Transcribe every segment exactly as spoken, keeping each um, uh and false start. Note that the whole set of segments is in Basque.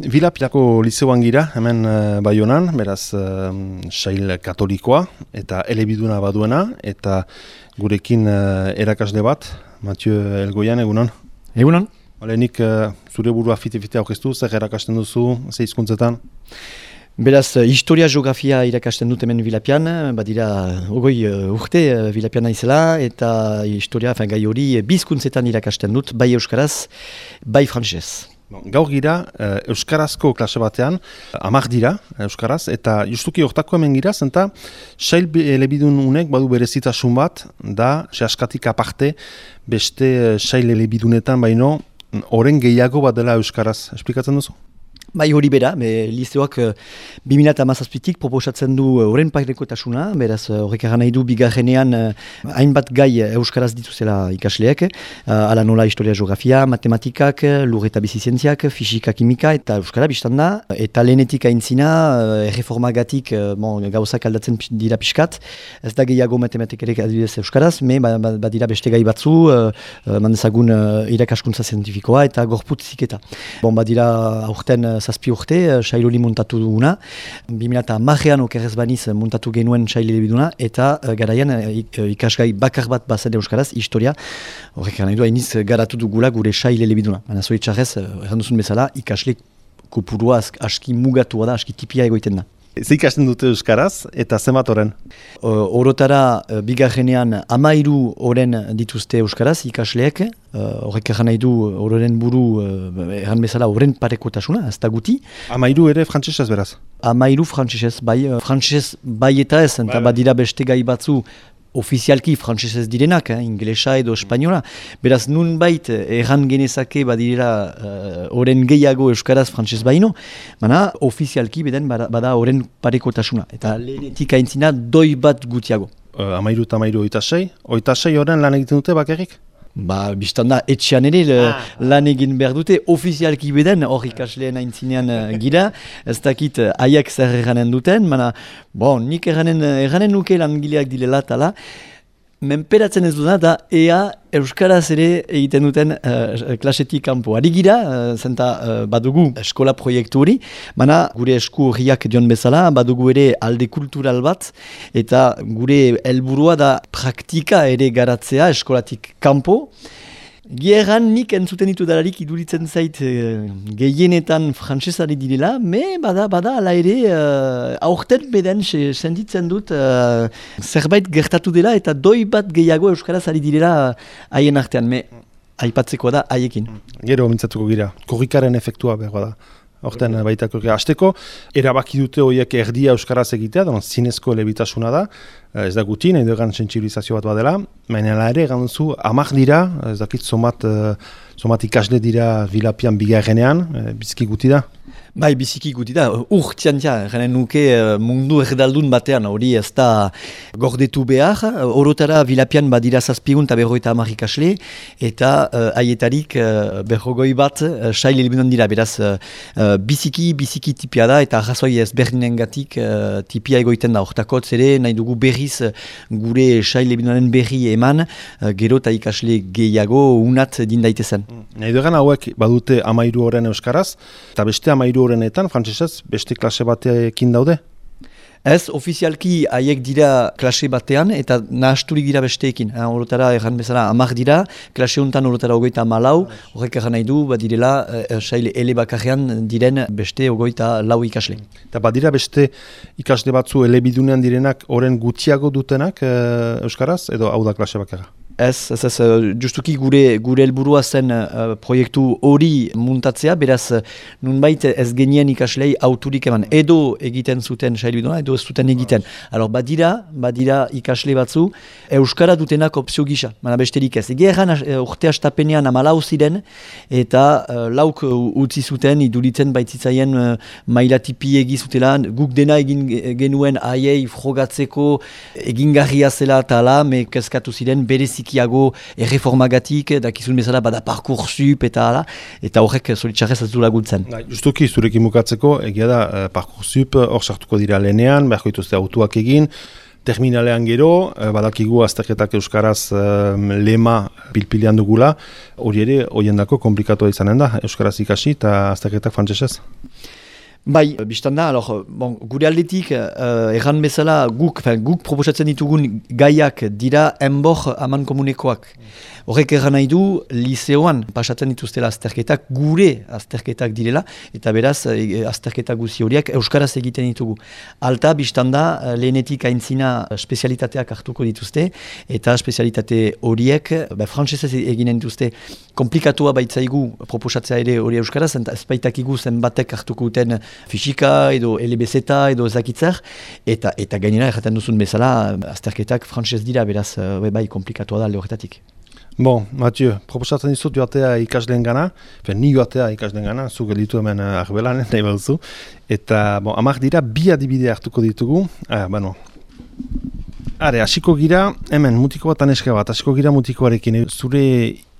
Vilapilako lizeoan gira, hemen uh, Baionan, beraz uh, sail katolikoa eta elebiduna baduena, eta gurekin uh, erakasle bat, Mathieu Elgoian, egunon? Egunon? Olenik, uh, zure burua fite-fite aurkeztu, zer erakasten duzu, ze hizkuntzetan? Beraz, historia geografia irakasten dut hemen Vilapian, badira ogoi uh, urte uh, Vilapian naizela, eta historia, fin, gai hori bizkuntzetan irakasten dut, bai euskaraz, bai frantsesez. Bon, gaur gira, uh, euskarazko klase batean, hamar dira euskaraz, eta justuki hortako hemen gira, zenta sail elebidun unek badu berezitasun bat, da, sehaskatik aparte, beste sail elebidunetan baino, oren gehiago bat dela euskaraz. Esplikatzen duzu? Bai hori bera, be, lizeoak bi mila hamazazpitik proposatzen du horren parekotasuna, beraz horrek egan nahi du bigarrenean hainbat gai euskaraz dituzela ikasleek, ala nola historia geografia, matematikak, lur eta bizizientziak, fisika, kimika eta euskara biztan da, eta lehenetik aintzina, erreformagatik bon, gauzak aldatzen dira pixkat, ez da gehiago matematikarek adibidez euskaraz, me badira ba, ba beste gai batzu, mandezagun irakaskuntza zientifikoa eta gorputz ziketa. Bon, badira aurten zazpi urte, sail hori montatu duguna. bi mila hamarean okerrez baniz montatu genuen sail elebiduna, eta uh, garaian uh, ikasgai bakar bat bazen euskaraz, historia, horrek nahi du hainiz garatu dugula gure sail elebiduna. Baina zoritxarrez, uh, erranduzun bezala, ikasle kopurua aski mugatua da, aski tipia egoiten da. Ze ikasten dute euskaraz eta zenbat oren? Uh, orotara uh, bigarrenean amairu oren dituzte euskaraz ikasleek, horrek uh, erran nahi du ororen buru uh, erran bezala oren parekotasuna, ez da guti. Amairu ere frantsesez beraz? Amairu frantsesez, bai, uh, frantsesez bai eta ez, eta badira beste gai batzu ofizialki frantsesez direnak, eh, inglesa edo espainola. Beraz, nun bait erran genezake badirela oren uh, gehiago euskaraz frantsesez baino, baina ofizialki beden bada oren parekotasuna. Eta lehenetik aintzina doi bat gutiago. Uh, amairu eta amairu oita sei? Oita sei oren lan egiten dute bakarrik? Ba, biztan da, etxean ere ah, lan egin behar dute, ofizialki beden, hor ikasleen aintzinean uh, gira, ez dakit uh, aiak zer erranen duten, baina, bon, nik erranen, erranen nuke langileak dilela tala, menperatzen ez duna da ea euskaraz ere egiten duten uh, klasetik kanpo. Ari gira, uh, zenta uh, badugu eskola proiektu hori, baina gure esku horriak dion bezala, badugu ere alde kultural bat, eta gure helburua da praktika ere garatzea eskolatik kanpo. Gieran nik entzuten ditu dalarik iduritzen zait uh, gehienetan frantsesari direla, me bada, bada, ala ere, uh, aurten beden sentitzen dut uh, zerbait gertatu dela eta doi bat gehiago euskaraz ari direla haien artean, me aipatzeko da haiekin. Gero mintzatuko gira, korrikaren efektua behar da. Horten baitako hasteko, erabaki dute horiek erdia euskaraz egitea, dono zinezko elebitasuna da, ez da guti, nahi dugan sentsibilizazio bat badela, baina ere egan duzu, amak dira, ez dakit somat, somat ikasle dira Vilapian bigarrenean, biziki guti da? Bai, biziki guti da, urtian ja, garen nuke mundu erdaldun batean, hori ez da gordetu behar, orotara Vilapian badira zazpigun eta berroita hamar ikasle, eta haietarik uh, berrogoi bat uh, sail elebidun dira, beraz uh, biziki, biziki tipia da, eta arrazoi ez berdinengatik uh, tipia egoiten da, hortakotz ere, nahi dugu berriz uh, gure sail elebidunen berri eman, uh, gero eta ikasle gehiago unat din daitezen. Nahi dugan hauek badute amairu horren euskaraz, eta beste amairu horrenetan, frantsesez, beste klase batekin daude? Ez, ofizialki haiek dira klase batean eta nahasturik dira besteekin. Horotara erran bezala hamar dira, klase honetan horotara ogoita malau, horrek erran nahi du, badirela, eh, saile ele bakarrean diren beste ogoita lau ikasle. Eta badira beste ikasle batzu elebidunean direnak horren gutxiago dutenak eh, euskaraz, edo hau da klase bakarra? Ez, ez, ez, justuki gure gure helburua zen uh, proiektu hori muntatzea, beraz nunbait ez genien ikaslei auturik eman, edo egiten zuten sailbiduna, edo ez zuten egiten. Alor, badira, badira ikasle batzu, euskara dutenak opzio gisa, mana besterik ez. Ege erran uh, urte astapenean amalau ziren, eta uh, lauk uh, utzi zuten, iduritzen baitzitzaien uh, maila tipi egizutela, guk dena egin genuen aiei frogatzeko egingarria zela eta ala, me kezkatu ziren berezik erreformagatik, dakizun bezala bada Parcoursup eta ala, eta horrek zoritxarrez ez du laguntzen. Justuki, zurekin bukatzeko, egia da, Parcoursup hor sartuko dira lehenean, beharko dituzte autuak egin, terminalean gero, badakigu azterketak euskaraz um, lema pilpilean dugula, hori ere, horiendako komplikatua izanen da, euskaraz ikasi eta azterketak frantsesez. Bai, biztan da, alor, bon, gure aldetik, uh, erran bezala, guk, fin, guk proposatzen ditugun gaiak dira enbor aman komunekoak. Horrek erran nahi du, liseoan pasatzen dituztela azterketak, gure azterketak direla, eta beraz, e, azterketak guzi horiek euskaraz egiten ditugu. Alta, biztan da, lehenetik aintzina spezialitateak hartuko dituzte, eta spezialitate horiek, ba, frantsesez eginen dituzte, komplikatua baitzaigu proposatzea ere hori euskaraz, eta ez baitakigu zenbatek hartuko duten fisika edo L B Z edo ezakitzer, eta eta gainera erraten duzun bezala azterketak frantses dira, beraz e, bai komplikatua da alde horretatik. Bon, Mathieu, proposatzen dizut joatea ikasleen gana, ni joatea ikasleen gana, zu gelditu hemen arbelan, nahi baduzu, eta bon, amak dira bi adibide hartuko ditugu, ah, bueno. Are, hasiko gira, hemen mutiko bat aneska bat, hasiko gira mutikoarekin, zure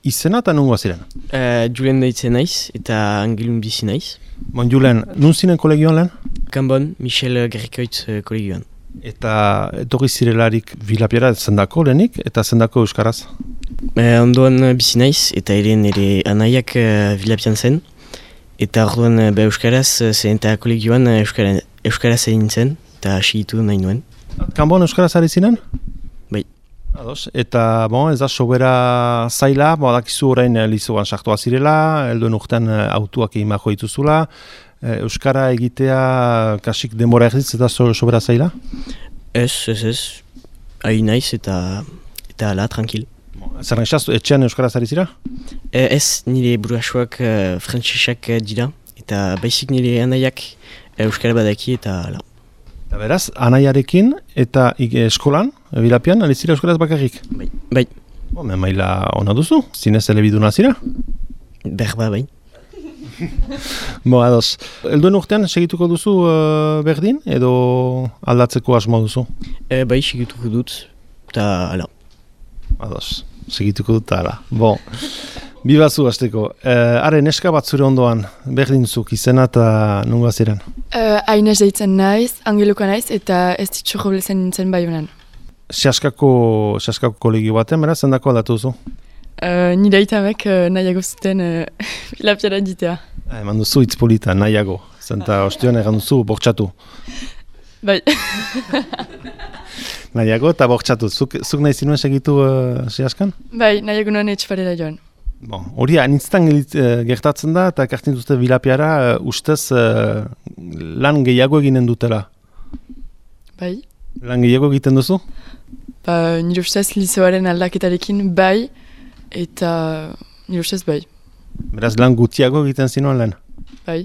izena eta nungoa ziren? Uh, Julen deitzen naiz, eta Angelun bizi naiz. Bon, Julen, nun zinen kolegioan lehen? Kanbon, Michel Gerrikoitz uh, kolegioan. Eta etorri zirelarik Vilapiara zendako lehenik, eta zendako euskaraz? Uh, ondoan uh, bizi naiz, eta ere nire anaiak uh, Vilapian zen, eta orduan uh, be euskaraz, uh, zen eta kolegioan uh, euskara, euskaraz egin zen, eta hasigitu nahi nuen. Kanbon euskaraz ari zinen? Bai. Ados, eta bon, ez da sobera zaila, badakizu orain lizoan sartua zirela, helduen urtean autuak egin bajo dituzula, euskara egitea kasik denbora erdiz eta so, sobera zaila? Ez, ez, ez, ari naiz eta eta ala, tranquil. Zer nahi, etxean euskaraz ari zira? E, ez, nire burasuak uh, frantsesak dira, eta baizik nire anaiak euskara badaki eta ala. Eta beraz, anaiarekin eta eskolan, Vilapian, ari zira euskaraz bakarrik? Bai. Bai. Bo, men maila ona duzu, zinez elebiduna zira? Berba, bai. Bo, ados. Elduen urtean segituko duzu uh, berdin, edo aldatzeko asmo duzu? E, bai, segituko dut, eta ala. Ados, segituko dut, ala. Bo, bibazu hasteko. Uh, are, neska bat zure ondoan, berdinzuk izena eta nunga ziren? Uh, Ainez deitzen naiz, Angeluka naiz, eta ez ditxo joblezen nintzen bai honan. Seaskako, seaskako kolegio baten, beraz, zendako aldatu duzu? Uh, nire aitamek uh, nahiago zuten uh, Vilapiara ditea. Ha, eman duzu hitz polita, nahiago. Zenta ostion egan duzu, bortxatu. Bai. Nahiago eta bortxatu. Zuk, zuk nahi zinuen segitu uh, seaskan? Bai, nahiago nuen etxparera joan. Bon, hori anintztan gertatzen da, eta ekartzen duzte Vilapiara, uh, ustez uh, lan gehiago eginen dutela. Bai. Lan gehiago egiten duzu? Ba, nire ustez liseoaren aldaketarekin bai, eta nire ustez bai. Beraz, lan gutiago egiten zinuen lehen? Bai.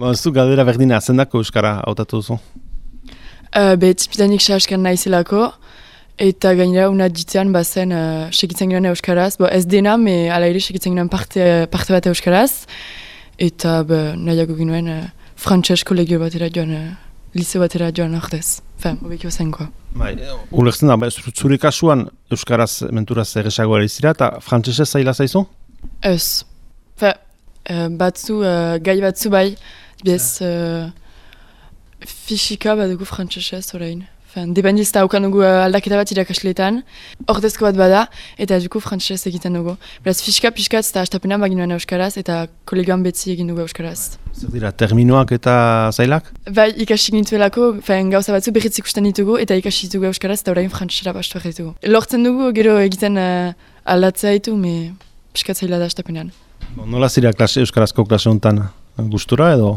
Bon, zu galdera berdina, zendako euskara hautatu duzu? Uh, be, tipidanik sahaskan naizelako, eta gainera una ditzean bazen uh, segitzen ginen euskaraz. Bo, ez dena, me ala ere segitzen ginen parte, parte bat euskaraz. Eta be, nahiago ginen uh, frantses kolegio batera joan, uh, liseo batera joan ordez. Fem, obekio zenkoa. Bai, ulertzen da, zure kasuan euskaraz menturaz erresago ari zira, eta frantsesez zaila zaizu? Ez. Fe, uh, batzu, uh, gai batzu bai, bez uh, fisika bat dugu frantsesez orain. Dependiz eta haukan dugu aldaketa bat irakasleetan, ordezko bat bada, eta dugu frantsesez egiten dugu. Beraz, fisika pixkatz eta astapena baginuen euskaraz, eta kolegioan betzi egin dugu euskaraz. Zer dira, terminoak eta zailak? Bai, ikasik nintuelako, gauza batzu berriz ikusten ditugu, eta ikasi ditugu euskaraz, eta orain frantsesera bastu ditugu. Lortzen dugu, gero egiten uh, aldatzea ditu, me pixkat zaila da astapenean. Bon, nola zira klase, euskarazko klase honetan gustura edo?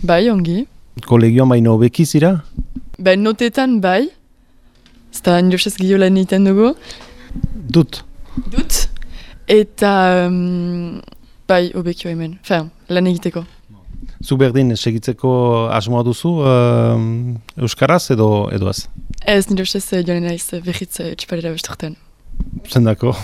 Bai, ongi. Kolegioan baino hobeki zira? Ben notetan bai, zta nire ustez gehiago lan egiten dugu. Dut? Dut, eta um, bai, hobekio hemen, Fem, lan egiteko. Zu berdin segitzeko asmoa duzu uh, euskaraz edo edo ez? Ez, nire ustez joan naiz behitz txiparera besturten. Zendako?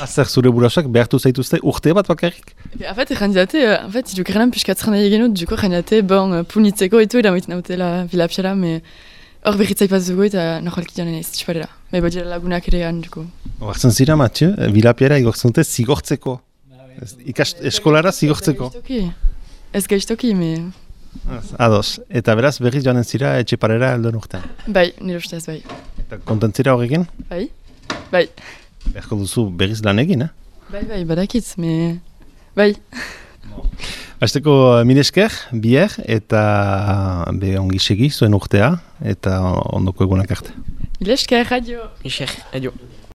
Azer zure burasak behartu zaituzte urte bat bakarrik? En fait, jandidate, en fait, duko renan pixkatzen nahi egin dut, duko jandidate, bon, punitzeko etu edamoiten nautela Vilapiara, me hor behitzai bat dugu eta nahualki joan naiz txiparera. Me badira lagunak ere gan, duko. Oartzen zira, Mathieu, Vilapiara igortzen dute zigortzeko. Ikas eskolara zigortzeko. Ez gaiztoki, me Ados, eta beraz berriz joanen zira Etxeparera helduen urtean. Bai, nire ustez, bai. Eta kontentzira horrekin? Bai, bai. Berko duzu berriz lan egin, eh? Bai, bai, badakitz, me... Bai. Azteko mil esker, bier, eta be ongi segi zuen urtea, eta ondoko egunak arte. Mil esker, adio. Esker, adio.